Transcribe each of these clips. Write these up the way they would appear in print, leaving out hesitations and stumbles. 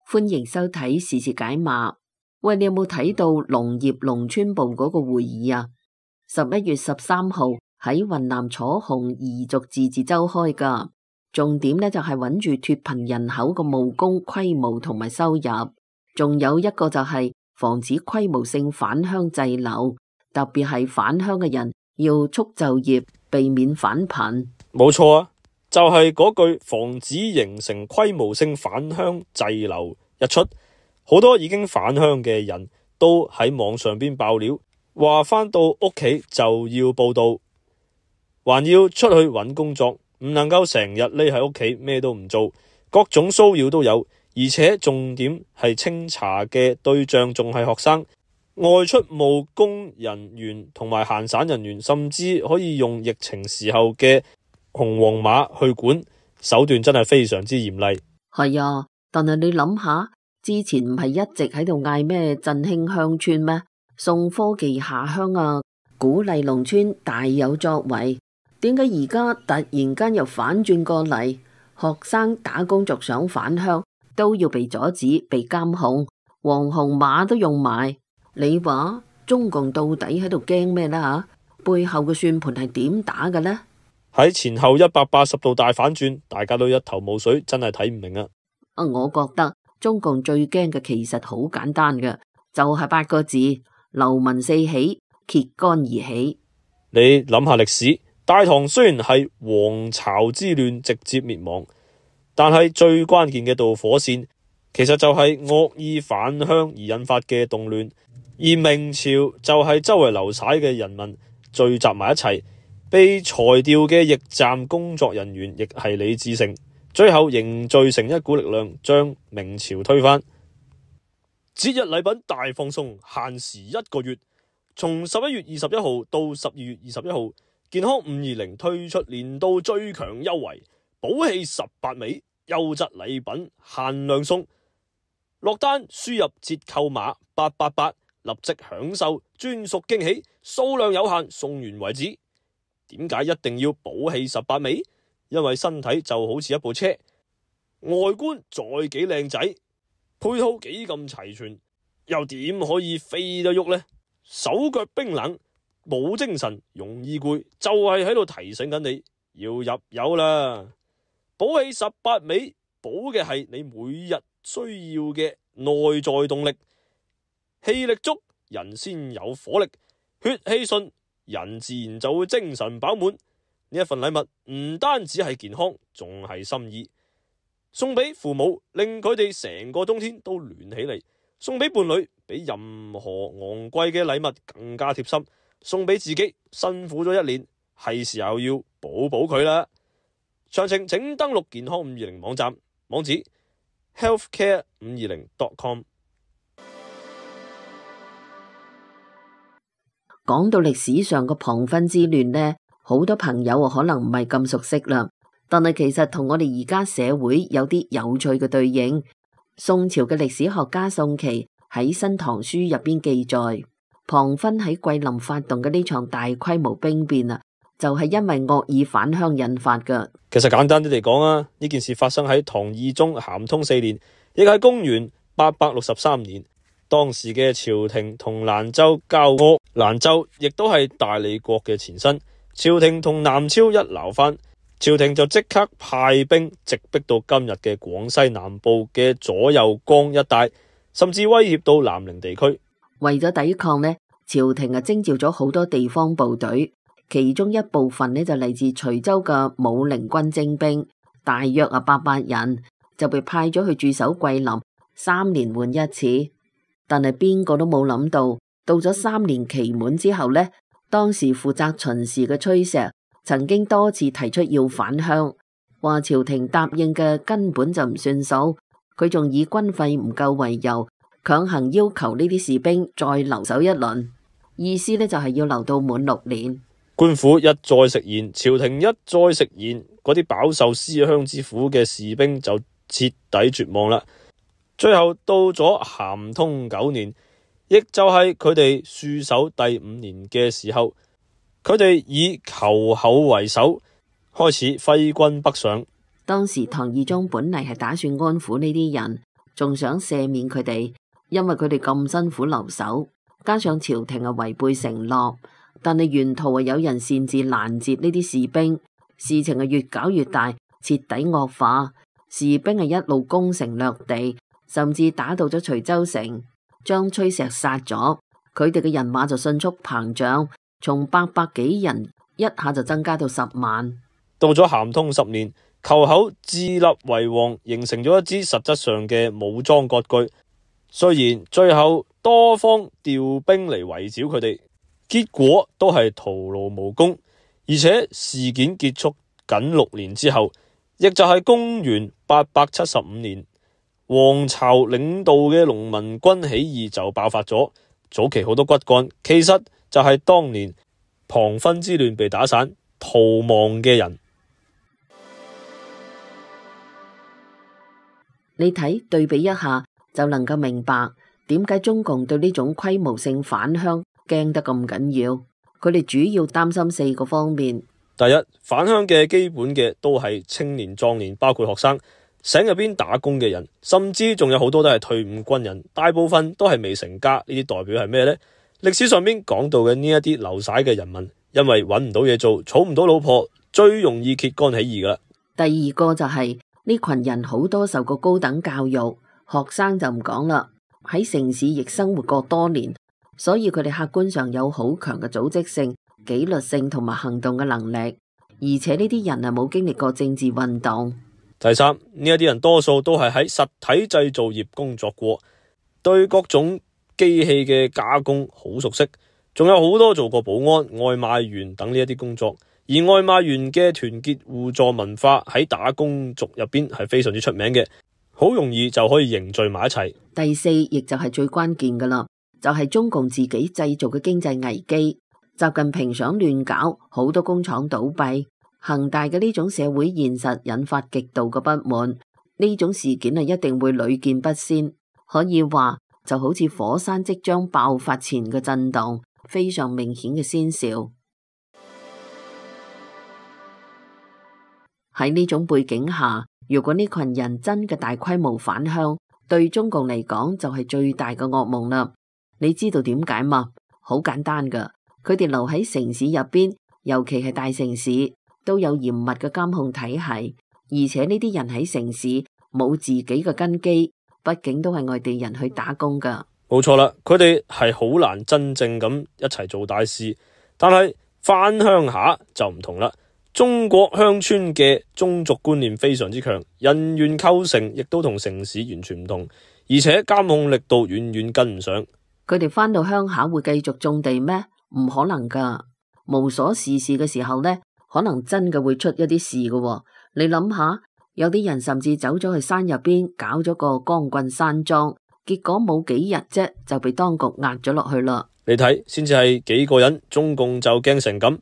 歡迎收睇時事解碼。喂，你有冇睇到農業農村部嗰個會議啊？11月13號喺雲南楚雄彝族自治州開噶，重點呢就係穩住脫貧人口嘅務工規模同埋收入，仲有一個就係防止規模性返鄉滯留，特別係返鄉嘅人要促就業，避免返貧。冇錯啊，就係嗰句防止形成規模性返鄉滯留一出，好多已經返鄉嘅人都喺網上邊爆料，話返到屋企就要報到，還要出去揾工作，唔能夠成日匿喺屋企咩都唔做，各種騷擾都有，而且重點係清查嘅對象仲係學生、外出務工人員同埋閒散人員，甚至可以用疫情時候嘅紅黃碼去管，手段真係非常之嚴厲。係啊，但係你諗下，之前唔係一直喺度嗌咩振興鄉村咩？送科技下鄉啊，鼓勵農村大有作為。點解而家突然間又反轉過嚟？學生打工族想返鄉都要被阻止、被監控，黃紅碼都用埋。你話中共到底喺度驚咩呢？吓，背後嘅算盤係點打嘅呢？喺前後180度大反轉，大家都一頭霧水，真係睇唔明啊！我覺得中共最驚嘅其實好簡單嘅，就係8個字：流民四起，揭竿而起。你諗下歷史，大唐雖然係黃巢之亂直接滅亡，但係最關鍵嘅導火線，其實就係惡意返鄉而引發嘅動亂。而明朝就係周圍流徙嘅人民聚集埋一齊。被裁掉嘅驛站工作人員亦係李自成，最後凝聚成一股力量，將明朝推翻。節日禮品大放送，限時1個月，從11月21號到12月21號，健康520推出年度最強優惠，寶氣18味，優質禮品限量送，落單輸入折扣碼888，立即享受專屬驚喜，數量有限，送完為止。點解一定要寶氣18味？因為身體就好似一部車，外觀再幾靚仔，配套幾咁齊全，又點可以飛得喐呢？手腳冰冷，冇精神，容易攰，就係喺度提醒緊你要入油啦！寶氣18味，補嘅係你每日需要嘅內在動力，氣力足，人先有火力，血氣順，人自然就會精神飽滿。呢一份禮物唔單止係健康，仲係心意。送俾父母，令佢哋成個冬天都暖起嚟；送俾伴侶，比任何昂貴嘅禮物更加貼心；送俾自己，辛苦咗一年，係時候要補補佢啦。詳情請登錄健康520網站，網址 healthcare520.com。講到歷史上嘅龐勳之亂呢，好多朋友可能唔係咁熟悉啦，但係其實同我哋而家社會有啲有趣嘅對應。宋朝嘅歷史學家宋祁喺《新唐書》入邊記載，龐勳喺桂林發動嘅呢場大規模兵變啊，就係因為惡意返鄉引發噶。其實簡單啲嚟講啊，呢件事發生喺唐懿宗咸通4年，亦係公元863年。當時嘅朝廷同蘭州交惡，蘭州亦都係大理國嘅前身。朝廷同南超一鬧翻，朝廷就即刻派兵直逼到今日嘅廣西南部嘅左右江一帶，甚至威脅到南寧地區。為咗抵抗呢，朝廷徵召咗好多地方部隊，其中一部分呢就嚟自徐州嘅武陵軍精兵，大約800人，就被派咗去駐守桂林，3年換一次。但係邊個都冇諗到，到咗3年期滿之後呢，當時負責巡視嘅崔石曾經多次提出要返鄉，話朝廷答應嘅根本就唔算數，佢仲以軍費唔夠為由，強行要求呢啲士兵再留守一輪，意思呢就係要留到滿6年。官府一再食言，朝廷一再食言，嗰啲飽受思鄉之苦嘅士兵就徹底絕望啦。最後到咗咸通9年，亦就係佢哋戍守第5年嘅時候，佢哋以求厚為首，開始揮軍北上。當時唐懿宗本嚟係打算安撫呢啲人，仲想赦免佢哋，因為佢哋咁辛苦留守，加上朝廷違背承諾，但係沿途有人擅自攔截呢啲士兵，事情越搞越大，徹底惡化。士兵一路攻城略地，甚至打到咗徐州城，將崔石殺咗，佢哋嘅人馬就迅速膨脹，從800幾人一下就增加到10萬。到咗咸通10年，寇口自立為王，形成咗一支實質上嘅武裝割據。雖然最後多方調兵嚟圍剿佢哋，結果都係徒勞無功。而且事件結束僅6年之後，亦就係公元875年，黃巢領導嘅農民軍起義就爆發咗。早期好多骨幹其實就係當年龐勳之亂被打散逃亡嘅人。你睇對比一下，就能夠明白點解中共對呢種規模性返鄉驚得咁緊要。佢哋主要擔心4個方面。第一，返鄉嘅基本嘅都係青年壯年，包括學生、省入邊打工嘅人，甚至仲有好多都係退伍軍人，大部分都係未成家。呢啲代表係咩呢？歷史上邊講到嘅呢一啲流徙嘅人民，因為揾唔到嘢做，娶唔到老婆，最容易揭竿起義噶啦。第二個就係呢群人好多受過高等教育，學生就唔講啦，喺城市亦生活過多年，所以佢哋客觀上有好強嘅組織性、紀律性同埋行動嘅能力，而且呢啲人係冇經歷過政治運動。第三，呢一啲人多數都係喺實體製造業工作過，對各種機器嘅加工好熟悉，仲有好多做過保安、外賣員等呢一啲工作。而外賣員嘅團結互助文化喺打工族入邊係非常之出名嘅，好容易就可以凝聚埋一齊。第四，亦就係最關鍵噶啦，就係中共自己製造嘅經濟危機。習近平想亂搞，好多工廠倒閉，恒大嘅呢種社會現實引發極度嘅不滿，呢種事件一定會屢見不鮮，可以話就好似火山即將爆發前嘅震動，非常明顯嘅先兆。喺呢種背景下，如果呢群人真嘅大規模返鄉，對中共嚟講就係最大嘅噩夢啦。你知道點解嗎？好簡單噶，佢哋留喺城市入邊，尤其係大城市，都有嚴密嘅監控體系，而且呢啲人喺城市冇自己嘅根基，畢竟都係外地人去打工噶。冇錯啦，佢哋係好難真正咁一齊做大事，但係返鄉下就唔同啦。中國鄉村嘅宗族觀念非常之強，人員構成亦都同城市完全唔同，而且監控力度遠遠跟唔上。佢哋返到鄉下會繼續種地咩？唔可能噶。無所事事嘅時候呢，可能真嘅會出一啲事噶。你諗下，有啲人甚至走咗去山入邊搞咗個光棍山莊，結果冇幾日啫就被當局壓咗落去啦。你睇，先至係幾個人，中共就驚成咁。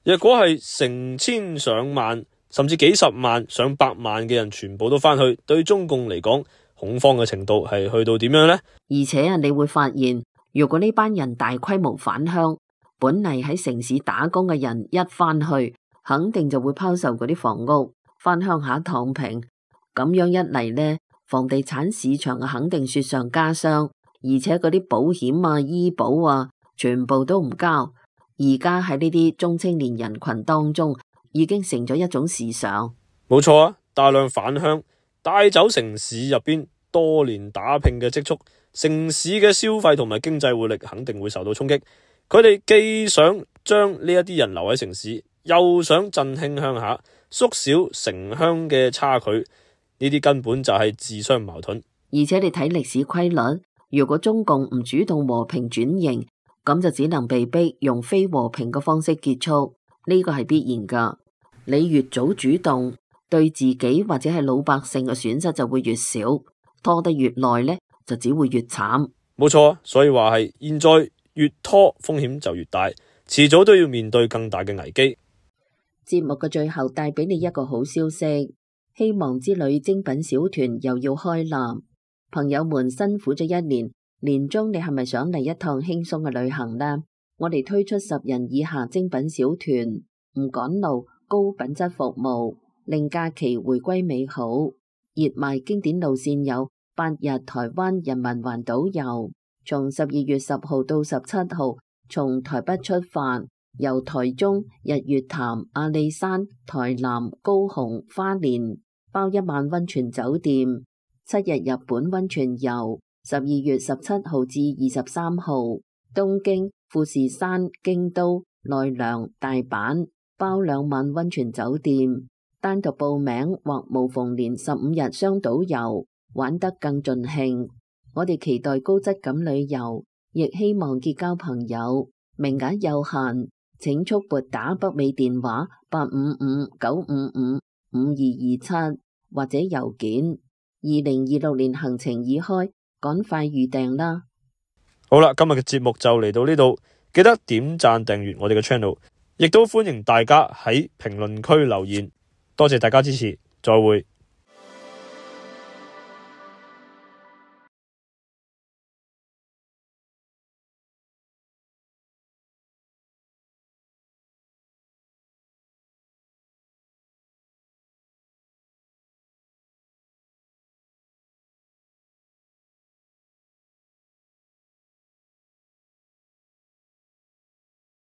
若果係成千上萬，甚至幾十萬、上百萬嘅人全部都返去，對中共嚟講，恐慌嘅程度係去到點樣呢？而且你會發現，如果呢班人大規模返鄉，本嚟喺城市打工嘅人一返去，肯定就會拋售嗰啲房屋，返鄉下躺平。咁樣一嚟呢，房地產市場肯定雪上加霜，而且嗰啲保險啊、醫保啊，全部都唔交。而家喺呢啲中青年人群當中，已經成咗一種時尚。冇錯啊，大量返鄉帶走城市入邊多年打拼嘅積蓄，城市嘅消費同埋經濟活力肯定會受到衝擊。佢哋既想將呢一啲人留喺城市，又想振興鄉下，縮小城鄉嘅差距，呢啲根本就係自相矛盾。而且你睇歷史規律，如果中共唔主動和平轉型，咁就只能被逼用非和平嘅方式結束，呢個係必然噶。你越早主動，對自己或者係老百姓嘅損失就會越少，拖得越耐呢，就只會越慘。冇錯，所以話係現在越拖風險就越大，遲早都要面對更大嘅危機。節目嘅最後帶俾你一個好消息，希望之旅精品小團又要開啦！朋友們辛苦咗一年，年終你係咪想嚟一趟輕鬆嘅旅行呢？我哋推出10人以下精品小團，唔趕路，高品質服務，令假期回歸美好。熱賣經典路線有8日台灣人民環島遊，從12月10號到17號，從台北出發，由台中、日月潭、阿里山、台南、高雄、花蓮，包1晚溫泉酒店，7日日本溫泉遊，12月17號至23號，東京、富士山、京都、奈良、大阪，包2晚溫泉酒店。單獨報名或無縫連15日雙島遊，玩得更盡興。我哋期待高質感旅遊，亦希望結交朋友。名額有限，請速撥打北美電話855-955-5227或者郵件。2026年行程已開，趕快預訂啦！好啦，今日嘅節目就嚟到呢度，記得點讚訂閱我哋嘅 channel， 亦都歡迎大家喺評論區留言。多謝大家支持，再會。